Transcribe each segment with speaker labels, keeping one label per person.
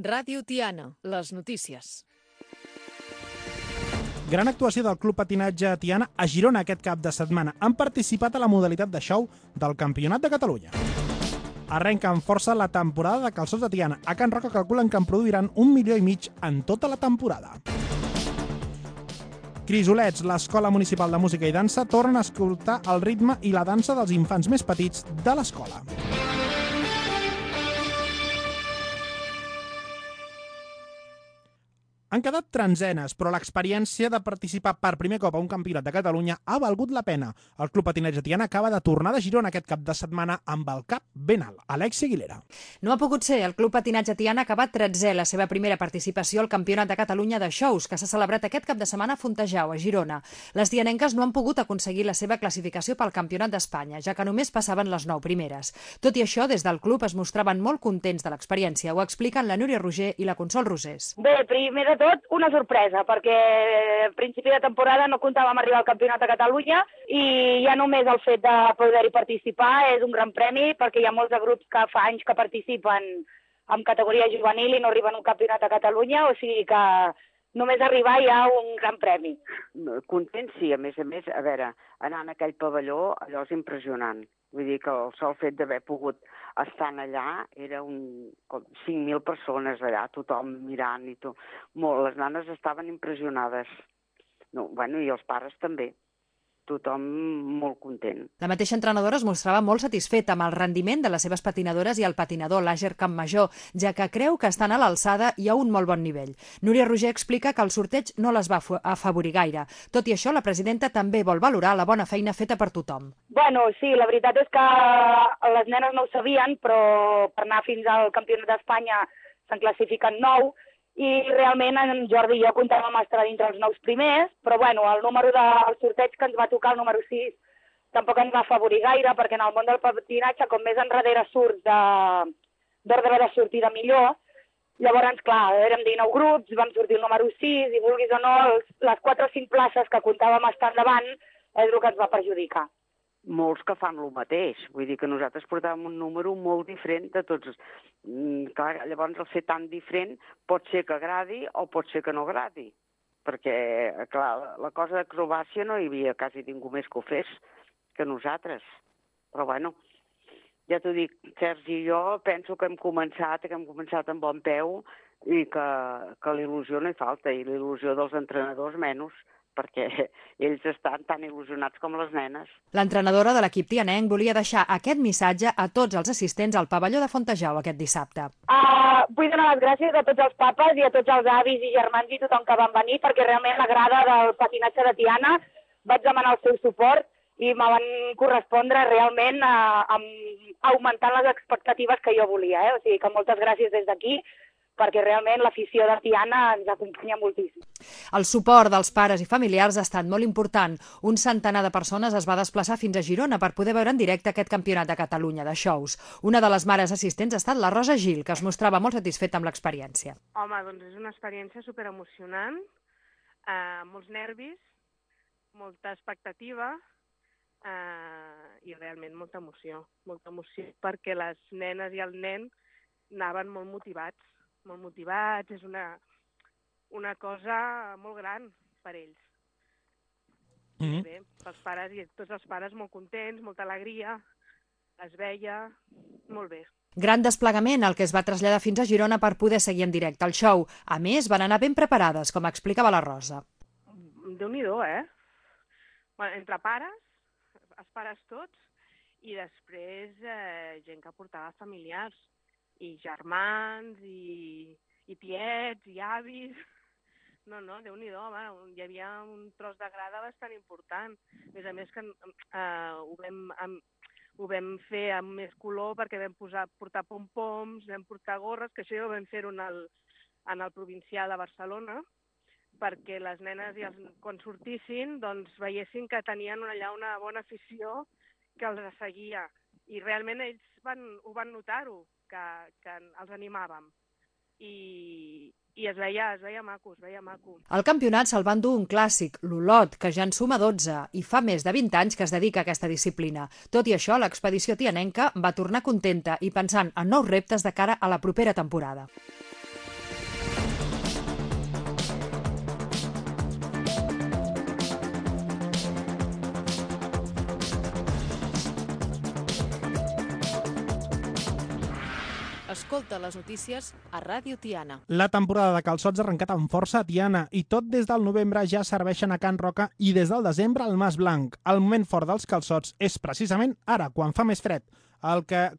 Speaker 1: Ràdio Tiana, les notícies.
Speaker 2: Gran actuació del Club Patinatge Tiana a Girona aquest cap de setmana. Han participat a la modalitat de show del Campionat de Catalunya. Arrenca amb força la temporada de calçots de Tiana. A Can Roca calculen que en produiran 1,5 milions en tota la temporada. Crisolets, l'Escola Municipal de Música i Dansa, tornen a escoltar el ritme i la dansa dels infants més petits de l'escola. Han quedat trenzenes, però l'experiència de participar per primer cop a un campionat de Catalunya ha valgut la pena. El Club Patinatge Tiana acaba de tornar de Girona aquest cap de setmana amb el cap ben alt. Alexia Aguilera.
Speaker 3: No ha pogut ser. El Club Patinatge Tiana ha acabat 13è la seva primera participació al Campionat de Catalunya de Shows, que s'ha celebrat aquest cap de setmana a Fontejau, a Girona. Les tianenques no han pogut aconseguir la seva classificació pel Campionat d'Espanya, ja que només passaven les 9 primeres. Tot i això, des del club es mostraven molt contents de l'experiència. Ho expliquen la Núria Roger i la Consol Rosés.
Speaker 4: Bé, primer de tot, una sorpresa, perquè a principi de temporada no comptàvem arribar al Campionat de Catalunya i ja només el fet de poder-hi participar és un gran premi, perquè hi ha molts de grups que fa anys que participen en categoria juvenil i no arriben a un Campionat de Catalunya, o sigui que només arribar hi ha un gran premi.
Speaker 5: Content, sí, a més, a veure, anar en aquell pavelló, allò és impressionant. Vull dir que el sol fet d'haver pogut estar allà era com 5.000 persones allà, tothom mirant i tot. Les nanes estaven impressionades. I els pares també. Tothom molt content.
Speaker 3: La mateixa entrenadora es mostrava molt satisfeta amb el rendiment de les seves patinadores i el patinador Làger Campmajor, ja que creu que estan a l'alçada i a un molt bon nivell. Núria Roger explica que el sorteig no les va afavorir gaire. Tot i això, la presidenta també vol valorar la bona feina feta per tothom.
Speaker 4: Bueno, sí, la veritat és que les nenes no ho sabien, però per anar fins al Campionat d'Espanya se'n classifiquen 9, i realment en Jordi i jo comptàvem estar dintre els 9 primers, però bueno, el número del sorteig que ens va tocar, el número 6, tampoc ens va afavorir gaire, perquè en el món del patinatge, com més enrere surts d'ordre de sortida millor, llavors, clar, érem 19 grups, vam sortir el número 6, i vulguis o no, les 4 o 5 places que comptàvem estar endavant és el que ens va perjudicar.
Speaker 5: Molts que fan el mateix, vull dir que nosaltres portàvem un número molt diferent de tots. Clar, llavors el ser tan diferent pot ser que agradi o pot ser que no agradi, perquè, clar, la cosa d'acrobàcia no hi havia quasi ningú més que ho fes que nosaltres. Però bueno, ja t'ho dic, Sergi i jo penso que hem començat amb bon peu i que l'il·lusió no hi falta, i l'il·lusió dels entrenadors menys, perquè ells estan tan il·lusionats com les nenes.
Speaker 3: L'entrenadora de l'equip tianenc volia deixar aquest missatge a tots els assistents al pavelló de Fontejau aquest dissabte.
Speaker 4: Vull donar les gràcies a tots els papes i a tots els avis i germans i tothom que van venir, perquè realment la grada del patinatge de Tiana vaig demanar el seu suport i me van correspondre realment augmentant les expectatives que jo volia. O sigui que moltes gràcies des d'aquí, perquè realment l'afició de Tiana ens acompanya moltíssim.
Speaker 3: El suport dels pares i familiars ha estat molt important. Un centenar de persones es va desplaçar fins a Girona per poder veure en directe aquest Campionat de Catalunya de Shows. Una de les mares assistents ha estat la Rosa Gil, que es mostrava molt satisfeta amb l'experiència.
Speaker 6: Home, doncs és una experiència superemocionant, molts nervis, molta expectativa i realment molta emoció perquè les nenes i el nen anaven molt motivats, és una cosa molt gran per ells. Bé, pels pares i tots els pares molt contents, molta alegria, es veia molt bé.
Speaker 3: Gran desplegament el que es va traslladar fins a Girona per poder seguir en directe el show. A més, van anar ben preparades, com explicava la Rosa.
Speaker 6: Déu-n'hi-do, Bueno, entre pares, els pares tots, i després gent que portava familiars, i germans, i tiets, i avis. No, Déu-n'hi-do, hi havia un tros de grada bastant important. A més que ho vam fer amb més color perquè vam portar pom-poms, vam portar gorres, que això ja ho vam fer en el provincial de Barcelona, perquè les nenes quan sortissin doncs veiessin que tenien allà una bona afició que els seguia. I realment ells ho van notar-ho, que els animàvem. I es veia maco,
Speaker 3: Al campionat se'l van dur un clàssic, l'Olot, que ja en suma 12 i fa més de 20 anys que es dedica a aquesta disciplina. Tot i això, l'expedició tianenca va tornar contenta i pensant en nous reptes de cara a la propera temporada.
Speaker 1: Escolta les notícies a Ràdio Tiana.
Speaker 2: La temporada de calçots ha arrencat amb força a Tiana i tot des del novembre ja serveixen a Can Roca i des del desembre al Mas Blanc. El moment fort dels calçots és precisament ara, quan fa més fred,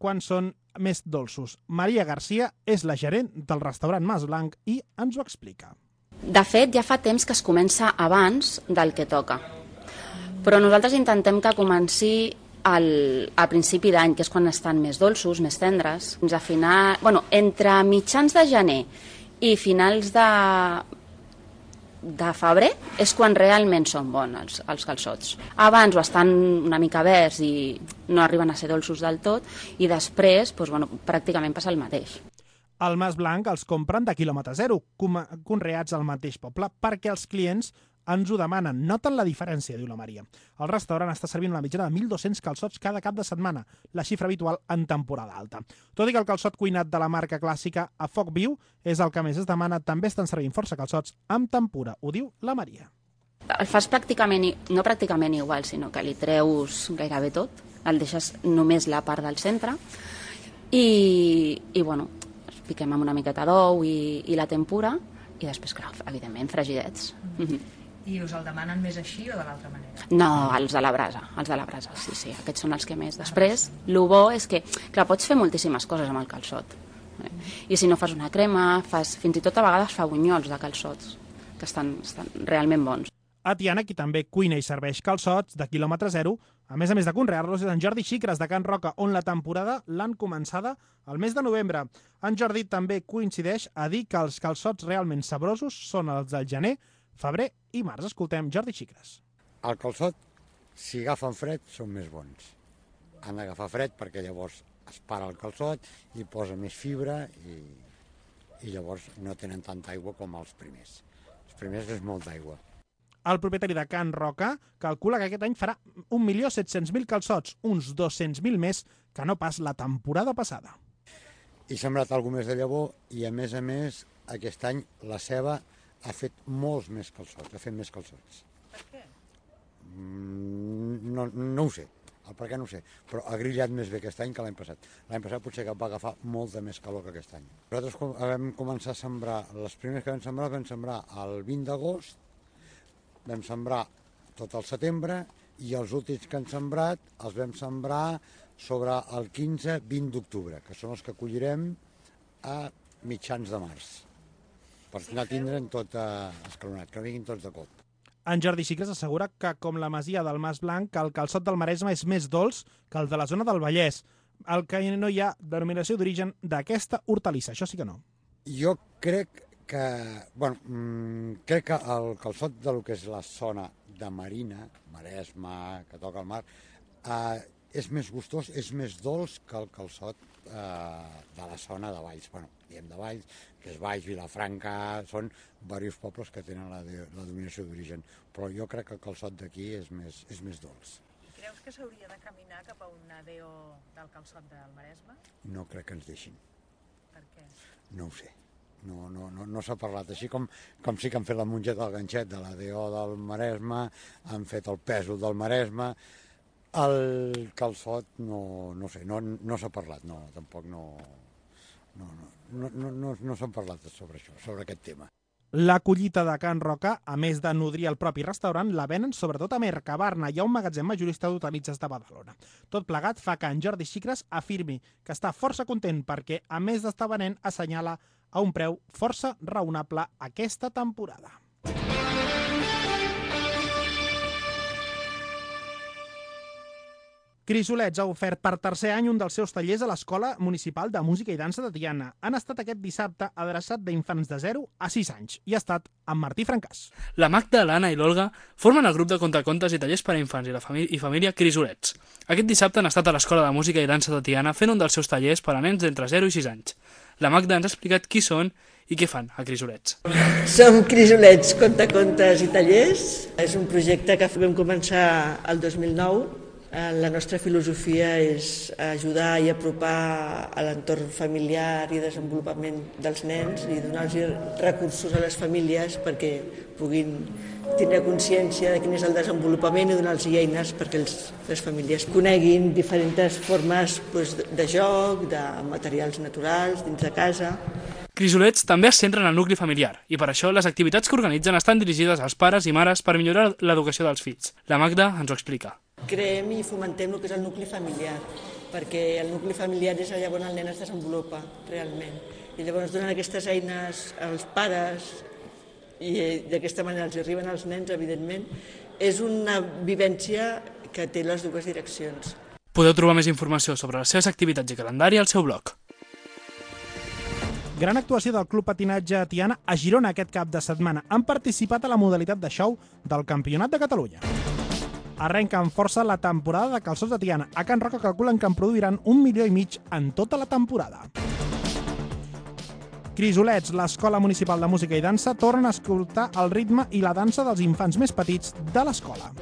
Speaker 2: quan són més dolços. Maria Garcia és la gerent del restaurant Mas Blanc i ens ho explica.
Speaker 7: De fet, ja fa temps que es comença abans del que toca. Però nosaltres intentem que comenci a principi d'any, que és quan estan més dolços, més tendres, fins a entre mitjans de gener i finals de febrer és quan realment són bons els calçots. Abans o estan una mica verds i no arriben a ser dolços del tot i després pràcticament passa el mateix.
Speaker 2: El Mas Blanc els compren de quilòmetre zero, conreats al mateix poble, perquè els clients ens ho demanen. Noten la diferència, diu la Maria. El restaurant està servint una mitjana de 1.200 calçots cada cap de setmana, la xifra habitual en temporada alta. Tot i que el calçot cuinat de la marca clàssica a foc viu és el que més es demana, també estan servint força calçots amb tempura, ho diu la Maria.
Speaker 7: El fas no pràcticament igual, sinó que li treus gairebé tot, el deixes només la part del centre i els piquem amb una miqueta d'ou i la tempura i després, clar, evidentment, fregidets.
Speaker 3: I us el demanen més així o de l'altra manera?
Speaker 7: No, els de la brasa, sí, aquests són els que més. Després, el bo és que, clar, pots fer moltíssimes coses amb el calçot. I si no fas una crema, fins i tot a vegades fa bunyols de calçots, que estan realment bons.
Speaker 2: A Tiana, qui també cuina i serveix calçots de quilòmetre zero, a més de conrear-los, és en Jordi Xicres de Can Roca, on la temporada l'han començada al mes de novembre. En Jordi també coincideix a dir que els calçots realment sabrosos són els del gener, febrer i març. Escoltem Jordi Xicres.
Speaker 8: El calçot, si agafen fred, són més bons. Han d'agafar fred perquè llavors es para el calçot i posa més fibra i llavors no tenen tanta aigua com els primers. Els primers és molt d'aigua.
Speaker 2: El propietari de Can Roca calcula que aquest any farà 1.700.000 calçots, uns 200.000 més que no pas la temporada passada.
Speaker 8: He sembrat alguna més de llavor i, a més, aquest any la ceba ha fet molts més calçots, ha fet més calçots.
Speaker 3: Per què?
Speaker 8: No ho sé, el per què no ho sé, però ha grillat més bé aquest any que l'any passat. L'any passat potser que va agafar molta més calor que aquest any. Nosaltres vam començar a sembrar, les primeres que vam sembrar el 20 d'agost, vam sembrar tot el setembre i els últims que han sembrat els vam sembrar sobre el 15-20 d'octubre, que són els que collirem a mitjans de març, per no tindre'n tot escalonat, que vinguin tots de cop.
Speaker 2: En Jordi Xicres assegura que, com la masia del Mas Blanc, el calçot del Maresme és més dolç que el de la zona del Vallès, el que no hi ha denominació d'origen d'aquesta hortalissa, això sí que no.
Speaker 8: Jo crec que el calçot del que és la zona de Marina, Maresme, que toca el mar, és més gustós, és més dolç que el calçot de la zona de Valls. Diem de Valls, que és Valls, Vilafranca, són diversos pobles que tenen la denominació d'origen, però jo crec que el calçot d'aquí és més dolç.
Speaker 3: I creus que s'hauria de caminar cap a un ADO del calçot del Maresme?
Speaker 8: No crec que ens deixin.
Speaker 3: Per què?
Speaker 8: No ho sé. No s'ha parlat. Així com sí que han fet la mongeta del ganxet de l'ADO del Maresme, han fet el pèsol del Maresme, el calçot no sé, no s'ha parlat, tampoc no s'ha parlat sobre això, sobre aquest tema.
Speaker 2: La collita de Can Roca, a més de nodrir el propi restaurant, la venen sobretot a Mercabarna. Hi ha un magatzem majorista d'hortalisses de Badalona. Tot plegat fa que en Jordi Xicres afirmi que està força content perquè, a més d'estar venent, assenyala a un preu força raonable aquesta temporada. Crisolets ha ofert per tercer any un dels seus tallers a l'Escola Municipal de Música i Dansa de Tiana. Han estat aquest dissabte adreçat d'infants de 0 a 6 anys i ha estat amb Martí Francàs.
Speaker 9: La Magda, l'Anna i l'Olga formen el grup de contacontes i tallers per a infants i família Crisolets. Aquest dissabte han estat a l'Escola de Música i Dansa de Tiana fent un dels seus tallers per a nens d'entre 0 i 6 anys. La Magda ens ha explicat qui són i què fan a Crisolets.
Speaker 10: Som Crisolets, contacontes i tallers. És un projecte que vam començar el 2009 La nostra filosofia és ajudar i apropar a l'entorn familiar i desenvolupament dels nens i donar-los recursos a les famílies perquè puguin tindre consciència de quin és el desenvolupament i donar-los eines perquè les famílies coneguin diferents formes de joc, de materials naturals dins de casa.
Speaker 9: Crisolets també es centra en el nucli familiar i per això les activitats que organitzen estan dirigides als pares i mares per millorar l'educació dels fills. La Magda ens ho explica.
Speaker 10: Creem i fomentem el que és el nucli familiar, perquè el nucli familiar és allà on el nen es desenvolupa realment. I llavors donen aquestes eines als pares i d'aquesta manera els arriben als nens, evidentment. És una vivència que té les dues direccions.
Speaker 9: Podeu trobar més informació sobre les seves activitats i calendari al seu blog.
Speaker 2: Gran actuació del Club Patinatge Tiana a Girona aquest cap de setmana. Han participat a la modalitat de show del Campionat de Catalunya. Arrenca amb força la temporada de calçots de Tiana. A Can Roca calculen que en produiran 1,5 milions en tota la temporada. Crisolets, l'Escola Municipal de Música i Dansa, tornen a escoltar el ritme i la dansa dels infants més petits de l'escola.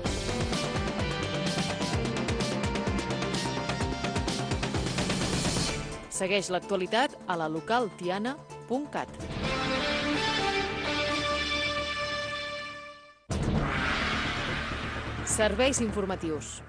Speaker 1: Segueix l'actualitat a la localtiana.cat. Serveis informatius.